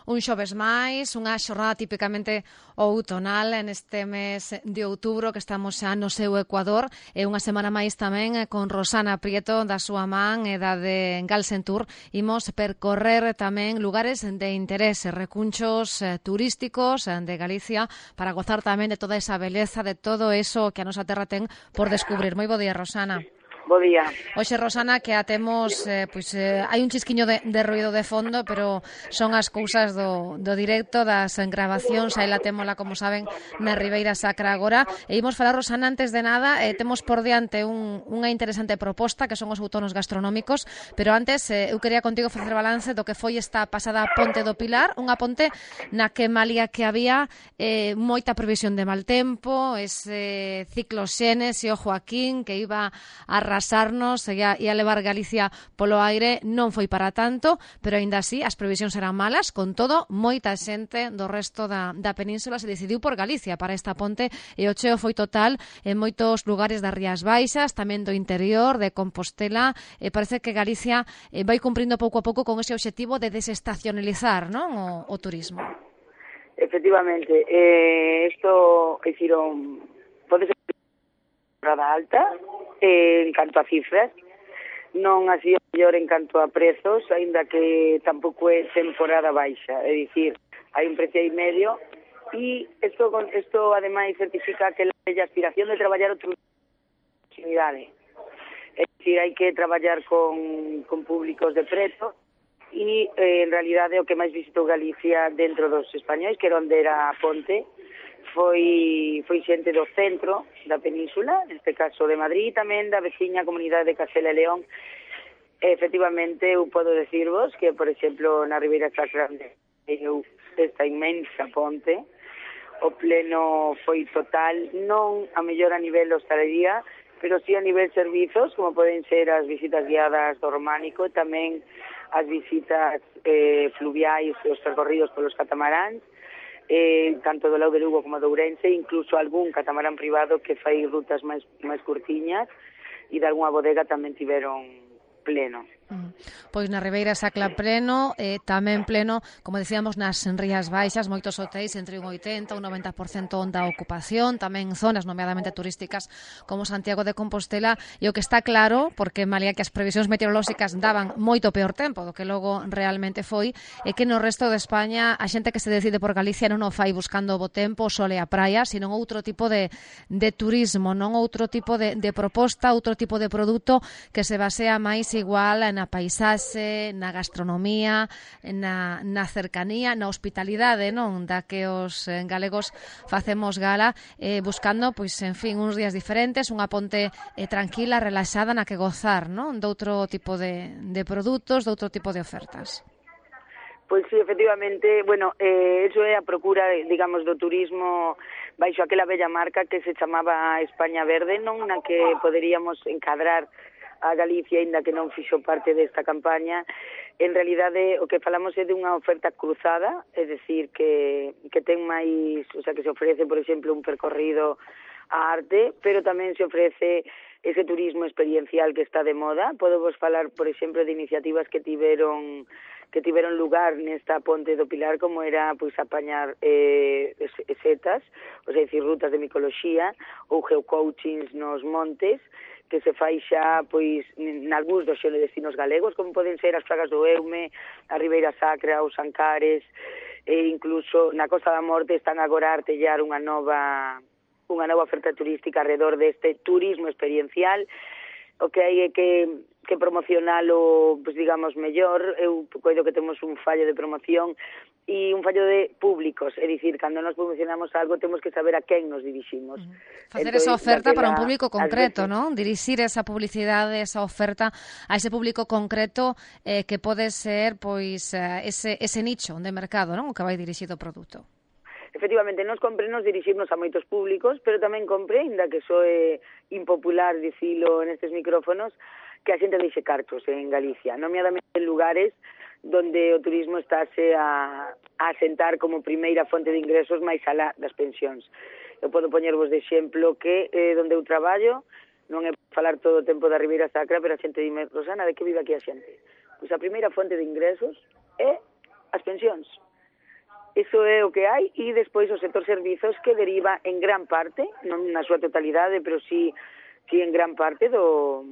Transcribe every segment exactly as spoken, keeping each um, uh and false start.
Un xoves máis, unha xornada tipicamente outonal neste mes de outubro que estamos xa no seu Ecuador e unha semana máis tamén con Rosana Prieto da súa man e da de Galsentur. Imos percorrer tamén lugares de interese, recunchos eh, turísticos eh, de Galicia para gozar tamén de toda esa beleza, de todo eso que a nosa terra ten por descubrir. Moi bo día, Rosana. Bo día. Oxe, Rosana, que atemos, eh, pois, eh, hai un chisquiño de, de ruido de fondo, pero son as cousas do, do directo, das grabacións, aí la témola, como saben, na Ribeira Sacra agora. E imos falar, Rosana, antes de nada, eh, temos por diante un, unha interesante proposta, que son os outonos gastronómicos, pero antes, eh, eu quería contigo facer balance do que foi esta pasada Ponte do Pilar, unha ponte na que malia que había eh, moita previsión de mal tempo, ese ciclo Xenes e o Joaquín, que iba a arrasarnos e a, e a levar Galicia polo aire, non foi para tanto, pero aínda así as previsións eran malas. Con todo, moita xente do resto da, da península se decidiu por Galicia para esta ponte e o cheo foi total en moitos lugares das Rías Baixas, tamén do interior, de Compostela, e parece que Galicia eh, vai cumprindo pouco a pouco con ese obxectivo de desestacionalizar, non, o, o turismo. Efectivamente, eh, isto, é dicir, un, pode ser temporada alta, eh, en canto a cifras, non así o mellor en canto a prezos, aínda que tampouco é temporada baixa, é dicir, hai un precio aí medio, e isto, isto ademais certifica que a aspiración de traballar outra proximidade, é dicir, hai que traballar con, con públicos de preto, e eh, en realidade o que máis visitou Galicia dentro dos españois, que era onde era a ponte, foi foi xente do centro da península, neste caso de Madrid, tamén da veciña comunidade de Castela e León. Efectivamente, eu podo decirvos que, por exemplo, na Ribeira Sacra, eu esta inmensa ponte, o pleno foi total, non a mellor a nivel hostalería, pero sí a nivel servizos, como poden ser as visitas guiadas do Románico, tamén as visitas eh, fluviais e os percorridos polos catamaráns, eh, tanto do lado de Lugo como do Ourense, incluso algún catamarán privado que fai rutas máis máis curtiñas, e de algunha bodega tamén tiveron pleno. Pois na Ribeira Sacra pleno, eh, tamén pleno, como decíamos, nas Rías Baixas, moitos hotéis entre un oitenta e un noventa por cento da ocupación, tamén zonas nomeadamente turísticas como Santiago de Compostela, e o que está claro, porque malia que as previsións meteorolóxicas daban moito peor tempo do que logo realmente foi, é que no resto de España a xente que se decide por Galicia non o fai buscando o bo tempo, o sol e a praia, sino outro tipo de, de turismo, non outro tipo de, de proposta, outro tipo de produto que se basea máis igual na na paisaxe, na gastronomía, na, na cercanía, na hospitalidade, non, da que os galegos facemos gala, eh, buscando, pois, en fin, uns días diferentes, unha ponte eh, tranquila, relaxada, na que gozar, non, de outro tipo de, de produtos, de outro tipo de ofertas. Pois sí, efectivamente, bueno, eh, eso é a procura, digamos, do turismo baixo aquela bella marca que se chamaba España Verde, non, na que poderíamos encadrar a Galicia, aínda que non fixo parte desta campaña. En realidade, o que falamos é de unha oferta cruzada, é dicir, que, que ten máis, o sea, que se ofrece, por exemplo, un percorrido a arte, pero tamén se ofrece ese turismo experiencial que está de moda. Podo vos falar, por exemplo, de iniciativas que tiveron que tiveron lugar nesta Ponte do Pilar, como era, pois, apañar eh, setas, ou sea, decir, rutas de micoloxía ou geocoachings nos montes, que se fai xa, pois, nalgúns dos destinos galegos, como poden ser as Fragas do Eume, a Ribeira Sacra, os Ancares, e incluso na Costa da Morte están agora a artellar unha nova unha nova oferta turística alrededor deste turismo experiencial. O que hai é que, que promocionalo, pues, digamos, mellor. Eu coido que temos un fallo de promoción e un fallo de públicos, é dicir, cando nos promocionamos algo temos que saber a quen nos diriximos. Uh-huh. Facer esa oferta para un público concreto, non? Dirixir esa publicidade, esa oferta a ese público concreto eh, que pode ser, pois, ese, ese nicho de mercado, non? O que vai dirixido o produto. Efectivamente, nos compre nos dirixirnos a moitos públicos, pero tamén compre, ainda que soe impopular dicilo nestes micrófonos, que a xente deixe cartos en Galicia, nomeadamente en lugares donde o turismo estáse a, a asentar como primeira fonte de ingresos máis alá das pensións. Eu podo poñervos de exemplo que eh, donde eu traballo, non é falar todo o tempo da Ribeira Sacra, pero a xente dime, Rosana, de que vive aquí a xente? Pois a primeira fonte de ingresos é as pensións. Iso é o que hai, e despois o sector servizos que deriva en gran parte, non na súa totalidade, pero sí, sí en gran parte do...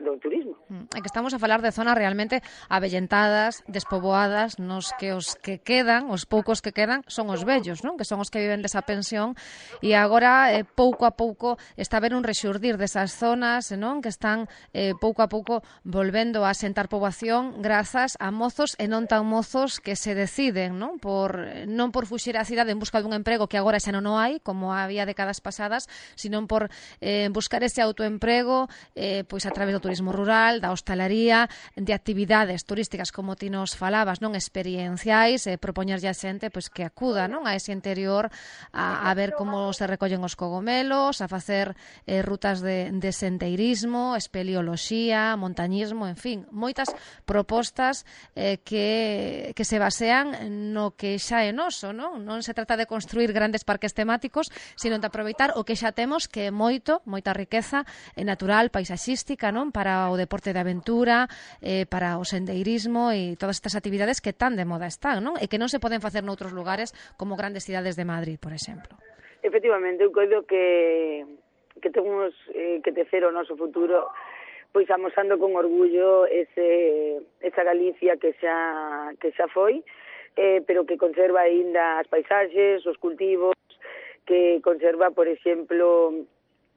do turismo. É que estamos a falar de zonas realmente avellentadas, despoboadas, nos que os que quedan, os poucos que quedan, son os vellos, non? Que son os que viven desa pensión, e agora, eh, pouco a pouco, está a haber un rexurdir desas zonas, non? Que están eh, pouco a pouco volvendo a sentar poboación grazas a mozos e non tan mozos que se deciden, non? Por, non por fuxir á cidade en busca dun emprego que agora xa non o hai, como había décadas pasadas, sino por eh, buscar ese autoemprego eh, pois a través do turismo rural, da hostalaría, de actividades turísticas como ti nos falabas, non experienciais, eh, propoñerlle a xente pois que acuda, non, a ese interior a, a ver como se recollen os cogomelos, a facer eh, rutas de, de sendeirismo, espeleoloxía, montañismo, en fin, moitas propostas eh, que, que se basean no que xa é noso, non? Non se trata de construir grandes parques temáticos, sino de aproveitar o que xa temos, que é moito, moita riqueza eh, natural, paisaxística, non? Para o deporte de aventura, eh, para o sendeirismo e todas estas actividades que tan de moda están, non? E que non se poden facer noutros lugares como grandes cidades de Madrid, por exemplo. Efectivamente, eu coido que que temos eh, que tecer o noso futuro pois amosando con orgullo ese esa Galicia que xa que xa foi, eh, pero que conserva aínda as paisaxes, os cultivos, que conserva, por exemplo,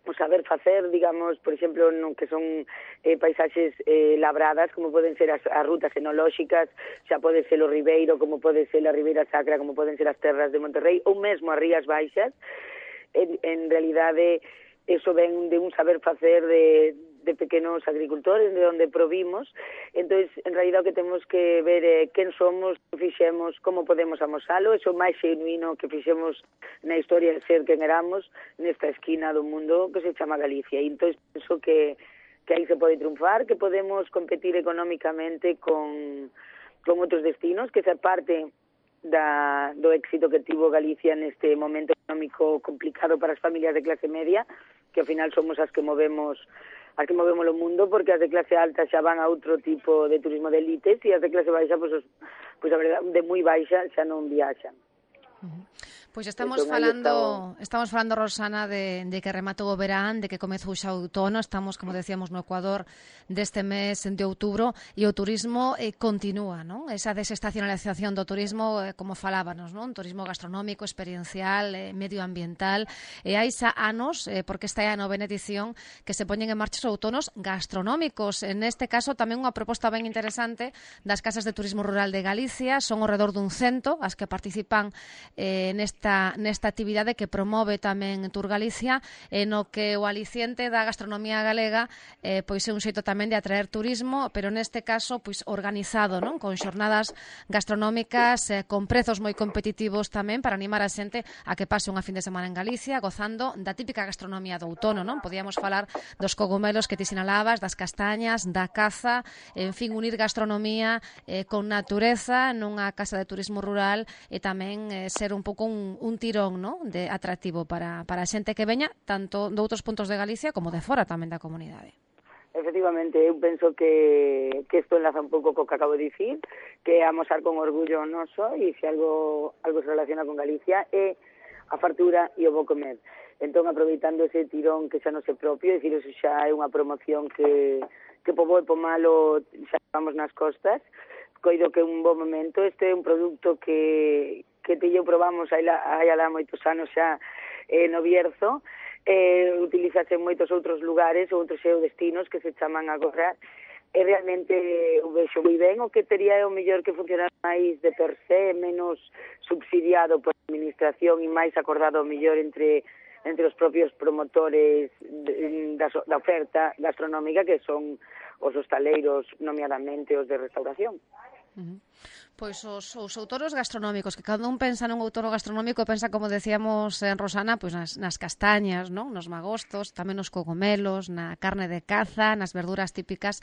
o saber facer, digamos, por exemplo, no que son eh, paisaxes eh, labradas, como poden ser as, as rutas enolóxicas, xa pode ser o Ribeiro, como pode ser a Ribeira Sacra, como poden ser as terras de Monterrey, ou mesmo as Rías Baixas. En, en realidade, eso ven de un saber facer de, de pequenos agricultores, de onde provimos. Entón, en realidade, o que temos que ver é quen somos, que fixemos, como podemos amosalo, eso máis genuino que fixemos na historia de ser quen éramos nesta esquina do mundo que se chama Galicia. E entón, penso que, que aí se pode triunfar, que podemos competir económicamente con, con outros destinos, que esa parte da, do éxito que tivo Galicia neste momento económico complicado para as familias de clase media, que ao final somos as que movemos as que movemos o mundo, porque as de clase alta xa van a outro tipo de turismo de elites e as de clase baixa, pois, os, pois a verdade, de moi baixa xa non viaxan. Uh-huh. Pois estamos entón, falando, estamos falando, Rosana, de, de que rematou o verán, de que comezou xa o outono, estamos, como decíamos, no Ecuador deste mes de outubro, e o turismo eh, continúa, non? Esa desestacionalización do turismo, eh, como falábanos, non? Turismo gastronómico, experiencial, eh, medioambiental, e hai xa anos, eh, porque esta é a novena edición, que se poñen en marcha os outonos gastronómicos. En este caso, tamén unha proposta ben interesante das casas de turismo rural de Galicia, son ao redor dun cento as que participan eh, neste Nesta, nesta actividade que promove tamén Tour Galicia, e no que o aliciente da gastronomía galega eh, pois é un xeito tamén de atraer turismo, pero neste caso pois organizado, non? Con xornadas gastronómicas, eh, con prezos moi competitivos tamén, para animar a xente a que pase unha fin de semana en Galicia gozando da típica gastronomía do outono, non? Podíamos falar dos cogumelos que ti sinalabas, das castañas, da caza, en fin, unir gastronomía eh, con natureza nunha casa de turismo rural, e tamén eh, ser un pouco un un tirón, ¿no?, de atractivo para, para a xente que veña tanto de outros puntos de Galicia como de fora tamén da comunidade. Efectivamente, eu penso que, que isto enlaza un pouco co que acabo de dicir, que é amosar con orgullo noso, e se algo, algo se relaciona con Galicia é a fartura e o bo comer. Entón, aproveitando ese tirón que xa non se propio, é dicir, eso xa é unha promoción que, que po bo e po malo xa vamos nas costas, coido que é un bo momento. Este é un produto que que te eu probamos hai, la, hai alá moitos anos xa eh, no Bierzo, eh, utilizase en moitos outros lugares ou outros destinos que se chaman agora, e realmente o vexo moi ben. O que tería é o mellor que funcionar máis de per se, menos subsidiado por a administración e máis acordado o mellor entre entre os propios promotores de, da, da oferta gastronómica, que son os hostaleiros, nomeadamente os de restauración. Uh-huh. Pois os, os outonos gastronómicos, que cada un pensa nun outono gastronómico, pensa, como decíamos en Rosana, pois nas, nas castañas, non? Nos magostos, tamén nos cogomelos, na carne de caza, nas verduras típicas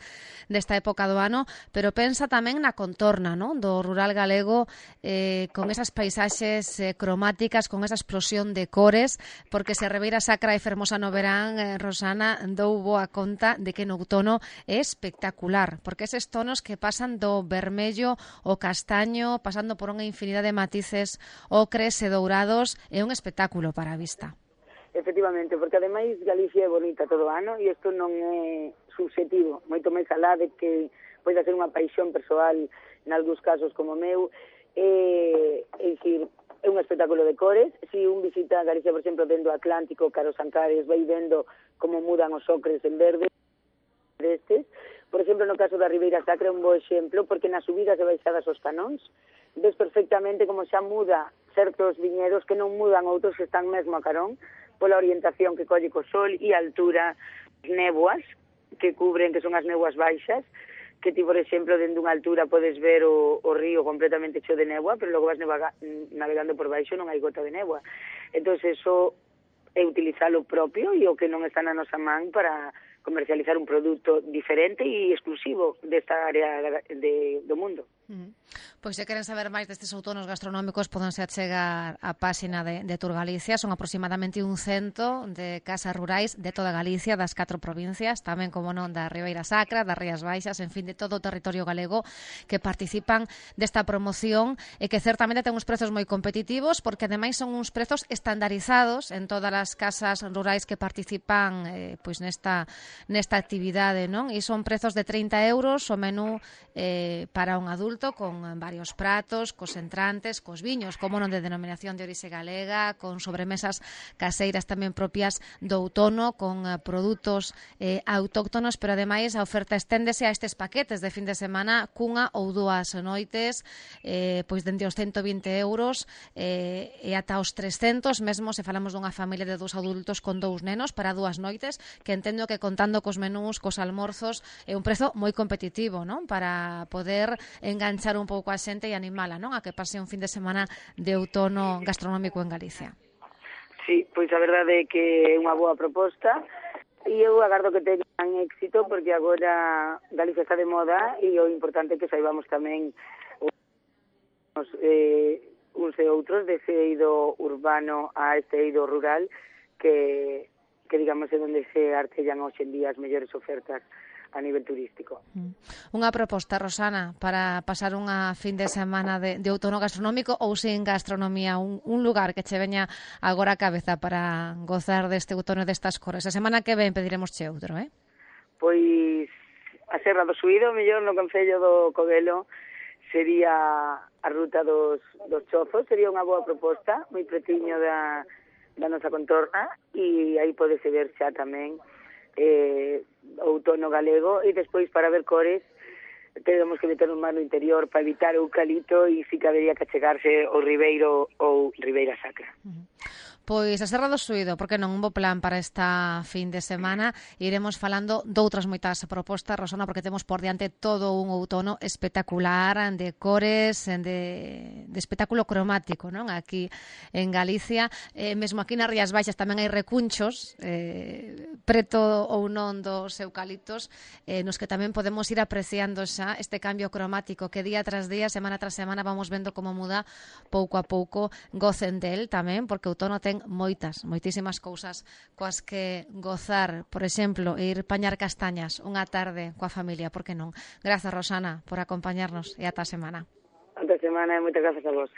desta época do ano, pero pensa tamén na contorna, non?, do rural galego, eh, con esas paisaxes eh, cromáticas, con esa explosión de cores, porque se Ribeira Sacra e fermosa no verán, eh, Rosana, dou boa conta de que no outono é espectacular, porque eses tonos que pasan do vermello o castaño, pasando por unha infinidade de matices ocres e dourados, é un espectáculo para a vista. Efectivamente, porque ademais Galicia é bonita todo o ano e isto non é subjetivo, moito máis alá de que poida ser unha paixón persoal nalgúns casos como o meu, é, é dicir, é un espectáculo de cores. Si un visita Galicia, por exemplo, dentro do Atlántico, cara aos Ancares, vai vendo como mudan os ocres en verde destes. Por exemplo, no caso da Ribeira Sacra é un bo exemplo, porque nas subidas e baixadas aos canóns ves perfectamente como xa muda certos viñedos que non mudan outros que están mesmo a carón pola orientación que colle co sol e a altura, néboas que cubren, que son as néboas baixas, que ti, por exemplo, dentro dunha altura podes ver o, o río completamente cheo de néboa, pero logo vas nevaga, navegando por baixo non hai gota de néboa. Entón, eso é utilizar o propio e o que non está na nosa man para comercializar un produto diferente e exclusivo desta área de, do mundo. Mm. Pois se queren saber máis destes outonos gastronómicos pódense achegar á páxina de, de Tour Galicia. Son aproximadamente un cento de casas rurais de toda Galicia, das catro provincias, tamén como non da Ribeira Sacra, das Rías Baixas, en fin, de todo o territorio galego que participan desta promoción e que certamente ten uns prezos moi competitivos, porque ademais son uns prezos estandarizados en todas as casas rurais que participan eh, pois nesta nesta actividade, non? E son prezos de trinta euros o menú eh, para un adulto, con varios pratos, cos entrantes, cos viños, como non de denominación de orixe galega, con sobremesas caseiras tamén propias do outono, con eh, produtos eh, autóctonos, pero ademais a oferta esténdese a estes paquetes de fin de semana cunha ou dúas noites, eh, pois dende os ciento vinte euros eh, e ata os trescentos, mesmo se falamos dunha familia de dous adultos con dous nenos para dúas noites, que entendo que contando cos menús, cos almorzos, é un prezo moi competitivo, non? Para poder enganchar un pouco a xente e animala, non? A que pase un fin de semana de outono gastronómico en Galicia. Sí, pois a verdade é que é unha boa proposta e eu agardo que teñan éxito, porque agora Galicia está de moda e o importante é que saibamos tamén os, eh, uns e outros dese eido urbano a este eido rural que que digamos é onde se artellan hoxe en día as mellores ofertas a nivel turístico. Unha proposta, Rosana, para pasar unha fin de semana de, de outono gastronómico ou sin gastronomía, un, un lugar que che veña agora a cabeza para gozar deste outono destas cores. A semana que ven pediremos che outro, eh? Pois a Serra do Suído, mellor no Concello do Covelo, sería a ruta dos, dos chozos, sería unha boa proposta, moi pretiño da da nosa contorna, e aí podese ver xa tamén eh, outono galego, e despois para ver cores temos que meter un mar no interior para evitar o eucalipto e si cabería que achegarse o Ribeiro ou Ribeira Sacra. Uh-huh. Pois a Serra do Suído, porque non un bo plan para esta fin de semana. Iremos falando doutras moitas propostas, Rosana, porque temos por diante todo un outono espectacular de cores, de, de espectáculo cromático, non? Aquí en Galicia, eh, mesmo aquí nas Rías Baixas tamén hai recunchos eh, preto ou non dos eucaliptos, eh, nos que tamén podemos ir apreciando xa este cambio cromático que día tras día, semana tras semana vamos vendo como muda pouco a pouco. Gocen del tamén, porque outono ten moitas, moitísimas cousas coas que gozar, por exemplo, ir pañar castañas unha tarde coa familia, por que non? Grazas, Rosana, por acompañarnos e ata a semana. Ata a semana e moitas grazas a vos.